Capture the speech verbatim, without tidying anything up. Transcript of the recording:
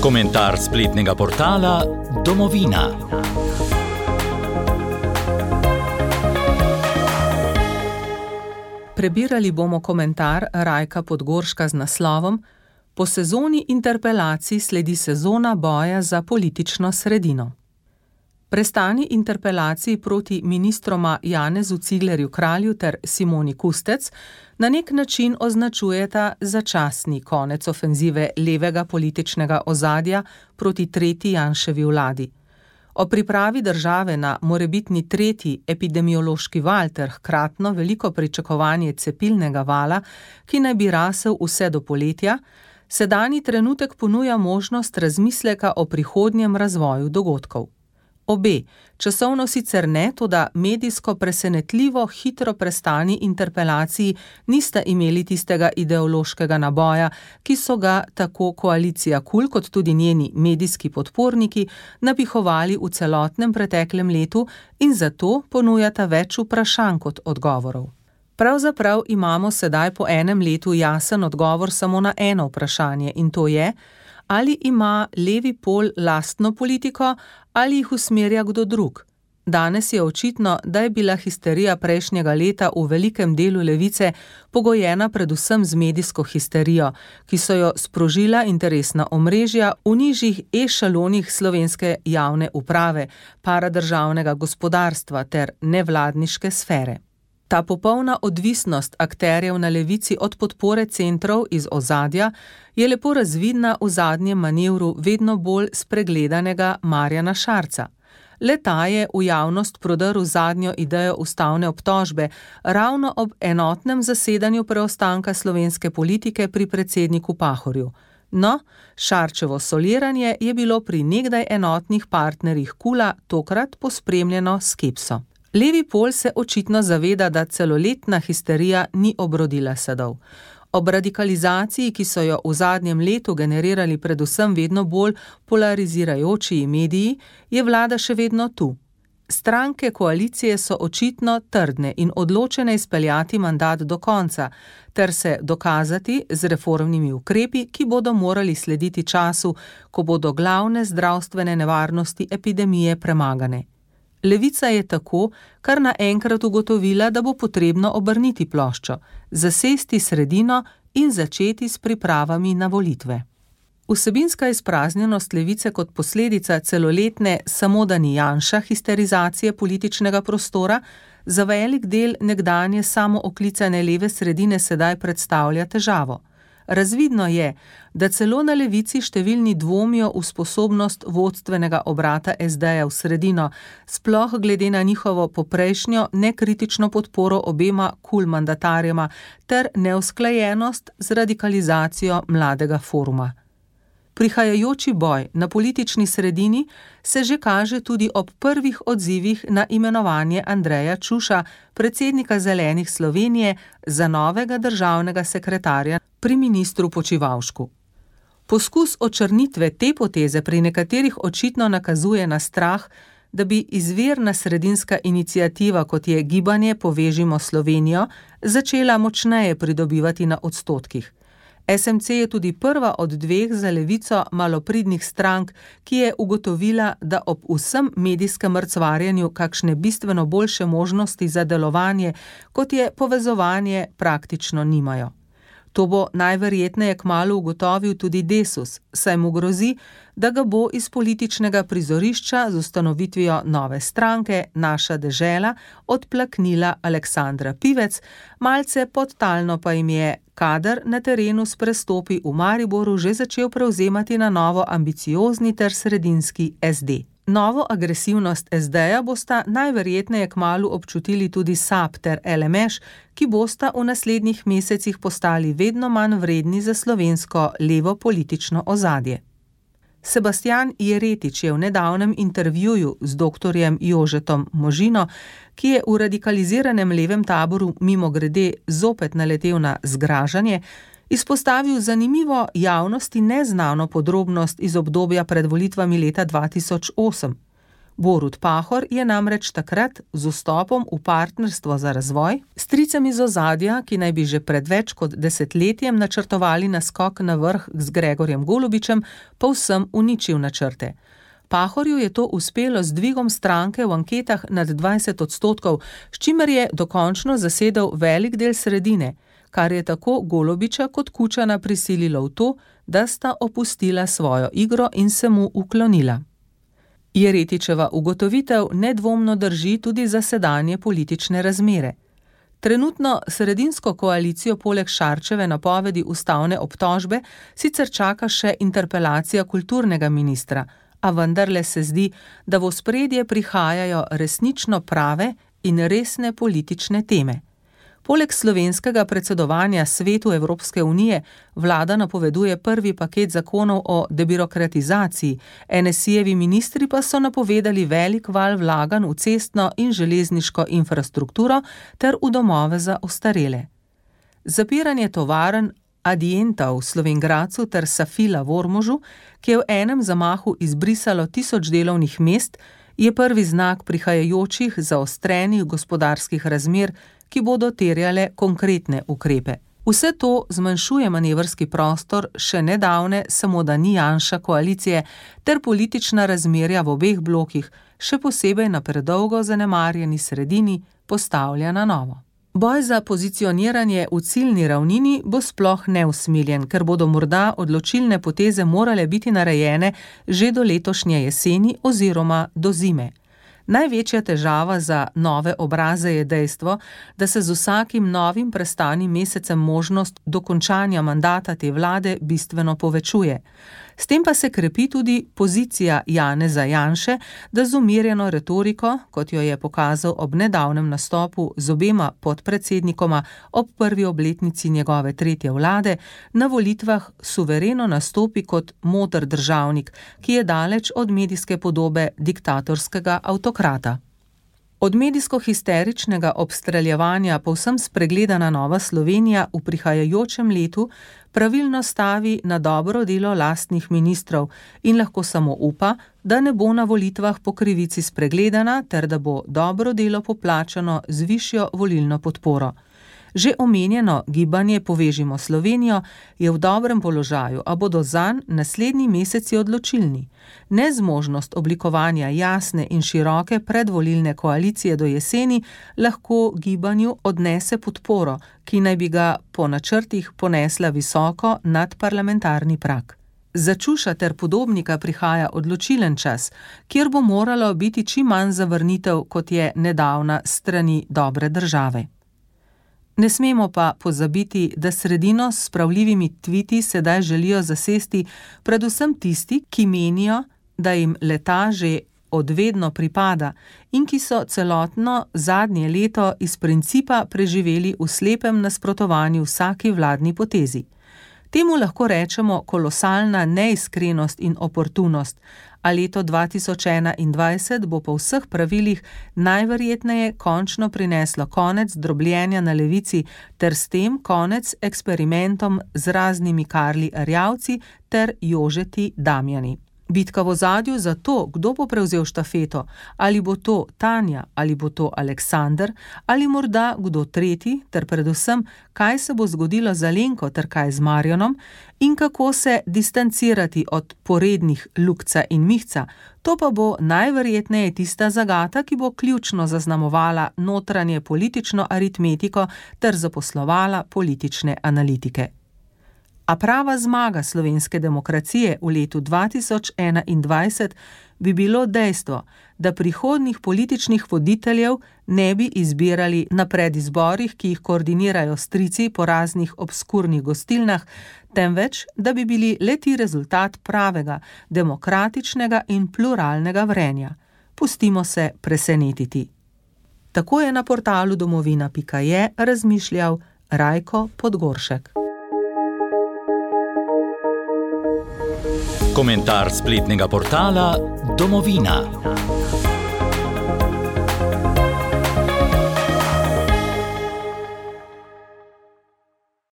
Komentar spletnega portala Domovina. Prebirali bomo komentar Rajka Podgorška z naslovom Po sezoni interpelacij sledi sezona boja za politično sredino. Prestani interpelaciji proti ministroma Janezu Ciglerju Kralju ter Simoni Kustec na nek način označujeta začasni konec ofenzive levega političnega ozadja proti tretji Janševi vladi. O pripravi države na morebitni tretji epidemiološki val ter hkratno veliko pričakovanje cepilnega vala, ki naj bi rasel vse do poletja, sedanji trenutek ponuja možnost razmisleka o prihodnjem razvoju dogodkov. Obe, časovno sicer ne, toda medijsko presenetljivo hitro prestani interpelaciji nista imeli tistega ideološkega naboja, ki so ga tako koalicija KUL kot tudi njeni medijski podporniki napihovali v celotnem preteklem letu in zato ponujata več vprašanj kot odgovorov. Pravzaprav imamo sedaj po enem letu jasen odgovor samo na eno vprašanje in to je, ali ima levi pol lastno politiko ali jih usmerja kdo drug. Danes je očitno, da je bila histerija prejšnjega leta v velikem delu levice pogojena predvsem z medijsko histerijo, ki so jo sprožila interesna omrežja v nižjih ešalonih slovenske javne uprave, paradržavnega gospodarstva ter nevladniške sfere. Ta popolna odvisnost akterjev na levici od podpore centrov iz ozadja je lepo razvidna v zadnjem manevru vedno bolj spregledanega Marjana Šarca. Le ta je v javnost prodrl zadnjo idejo ustavne obtožbe ravno ob enotnem zasedanju preostanka slovenske politike pri predsedniku Pahorju. No, Šarčevo soliranje je bilo pri nekdaj enotnih partnerjih KUL-a tokrat pospremljeno skepso. Levi pol se očitno zaveda, da celoletna histerija ni obrodila sadov. Ob radikalizaciji, ki so jo v zadnjem letu generirali predvsem vedno bolj polarizirajoči mediji, je vlada še vedno tu. Stranke koalicije so očitno trdne in odločene izpeljati mandat do konca, ter se dokazati z reformnimi ukrepi, ki bodo morali slediti času, ko bodo glavne zdravstvene nevarnosti epidemije premagane. Levica je tako kar naenkrat ugotovila, da bo potrebno obrniti ploščo, zasesti sredino in začeti s pripravami na volitve. Vsebinska izpraznjenost levice kot posledica celoletne samo da ni Janša histerizacije političnega prostora za velik del nekdanje samooklicane leve sredine sedaj predstavlja težavo. Razvidno je, da celo na levici številni dvomijo v sposobnost vodstvenega obrata es de-ja v sredino, sploh glede na njihovo poprejšnjo nekritično podporo obema KUL mandatarjema ter neusklajenost z radikalizacijo mladega foruma. Prihajajoči boj na politični sredini se že kaže tudi ob prvih odzivih na imenovanje Andreja Čuša, predsednika Zelenih Slovenije, za novega državnega sekretarja pri ministru Počivalšku. Poskus očrnitve te poteze pri nekaterih očitno nakazuje na strah, da bi izvirna sredinska iniciativa, kot je gibanje Povežimo Slovenijo, začela močneje pridobivati na odstotkih. es em ce je tudi prva od dveh za levico malopridnih strank, ki je ugotovila, da ob vsem medijskem mrcvarjenju kakšne bistveno boljše možnosti za delovanje, kot je povezovanje, praktično nimajo. To bo najverjetneje kmalu ugotovil tudi Desus, saj mu grozi, da ga bo iz političnega prizorišča z ustanovitvijo nove stranke Naša dežela odplaknila Aleksandra Pivec, malce podtalno pa jim je kader na terenu s prestopi v Mariboru že začel prevzemati na novo ambiciozni ter sredinski es de. Novo agresivnost es de-ja bosta najverjetneje kmalu občutili tudi SAB ter el em eš, ki bosta v naslednjih mesecih postali vedno manj vredni za slovensko levo politično ozadje. Sebastijan Jeretič je v nedavnem intervjuju z doktorjem Jožetom Možino, ki je v radikaliziranem levem taboru mimogrede zopet naletel na zgražanje, izpostavil zanimivo javnosti neznano podrobnost iz obdobja pred volitvami leta dva tisoč osem. Borut Pahor je namreč takrat z vstopom v partnerstvo za razvoj s tricem iz ozadja, ki naj bi že pred več kot desetletjem načrtovali naskok na vrh z Gregorjem Golobičem, povsem uničil načrte. Pahorju je to uspelo z dvigom stranke v anketah nad dvajset odstotkov, s čimer je dokončno zasedel velik del sredine, kar je tako Golobiča kot Kučana prisililo v to, da sta opustila svojo igro in se mu uklonila. Jeretičeva ugotovitev nedvomno drži tudi za sedanje politične razmere. Trenutno sredinsko koalicijo poleg Šarčeve napovedi ustavne obtožbe sicer čaka še interpelacija kulturnega ministra, a vendarle se zdi, da v ospredje prihajajo resnično prave in resne politične teme. Poleg slovenskega predsedovanja Svetu Evropske unije vlada napoveduje prvi paket zakonov o debirokratizaciji, en es i-jevi ministri pa so napovedali velik val vlaganj v cestno in železniško infrastrukturo ter v domove za ostarele. Zapiranje tovarn Adienta v Slovenj Gradcu ter Safila v Ormožu, ki je v enem zamahu izbrisalo tisoč delovnih mest, je prvi znak prihajajočih zaostrenih gospodarskih razmer, ki bodo terjale konkretne ukrepe. Vse to zmanjšuje manevrski prostor še nedavne samo da ni Janša koalicije ter politična razmerja v obeh blokih, še posebej na predolgo zanemarjeni sredini, postavlja na novo. Boj za pozicioniranje v ciljni ravnini bo sploh neusmiljen, ker bodo morda odločilne poteze morale biti narejene že do letošnje jeseni oziroma do zime. Največja težava za nove obraze je dejstvo, da se z vsakim novim prestanim mesecem možnost dokončanja mandata te vlade bistveno povečuje. S tem pa se krepi tudi pozicija Janeza Janše, da z umirjeno retoriko, kot jo je pokazal ob nedavnem nastopu z obema podpredsednikoma ob prvi obletnici njegove tretje vlade, na volitvah suvereno nastopi kot moder državnik, ki je daleč od medijske podobe diktatorskega avtokrata. Od medijsko-histeričnega obstreljevanja povsem spregledana Nova Slovenija v prihajajočem letu pravilno stavi na dobro delo lastnih ministrov in lahko samo upa, da ne bo na volitvah po krivici spregledana ter da bo dobro delo poplačano z višjo volilno podporo. Že omenjeno gibanje Povežimo Slovenijo je v dobrem položaju, a bodo zanj naslednji meseci odločilni. Nezmožnost oblikovanja jasne in široke predvolilne koalicije do jeseni lahko gibanju odnese podporo, ki naj bi ga po načrtih ponesla visoko nad parlamentarni prag. Za Čuša ter Podobnika prihaja odločilen čas, kjer bo moralo biti čim manj zavrnitev, kot je nedavna s strani dobre države. Ne smemo pa pozabiti, da sredino s spravljivimi tviti sedaj želijo zasesti predvsem tisti, ki menijo, da jim leta že odvedno pripada in ki so celotno zadnje leto iz principa preživeli v slepem nasprotovanju vsaki vladni potezi. Temu lahko rečemo kolosalna neiskrenost in oportunost, a leto dva tisoč enaindvajset bo po vseh pravilih najverjetneje končno prineslo konec drobljenja na levici ter s tem konec eksperimentom z raznimi Karli Erjavci ter Jožeti Damjani. Bitka v ozadju za to, kdo bo prevzel štafeto, ali bo to Tanja, ali bo to Aleksander, ali morda kdo tretji, ter predvsem, kaj se bo zgodilo z Alenko ter kaj z Marjanom in kako se distancirati od porednih Lukca in Mihca, to pa bo najverjetneje tista zagata, ki bo ključno zaznamovala notranje politično aritmetiko ter zaposlovala politične analitike. A prava zmaga slovenske demokracije v letu dva tisoč enaindvajset bi bilo dejstvo, da prihodnjih političnih voditeljev ne bi izbirali na predizborih, ki jih koordinirajo strici po raznih obskurnih gostilnah, temveč, da bi bili le-ti rezultat pravega, demokratičnega in pluralnega vrenja. Pustimo se presenetiti. Tako je na portalu domovina pika je razmišljal Rajko Podgoršek. Komentar spletnega portala Domovina.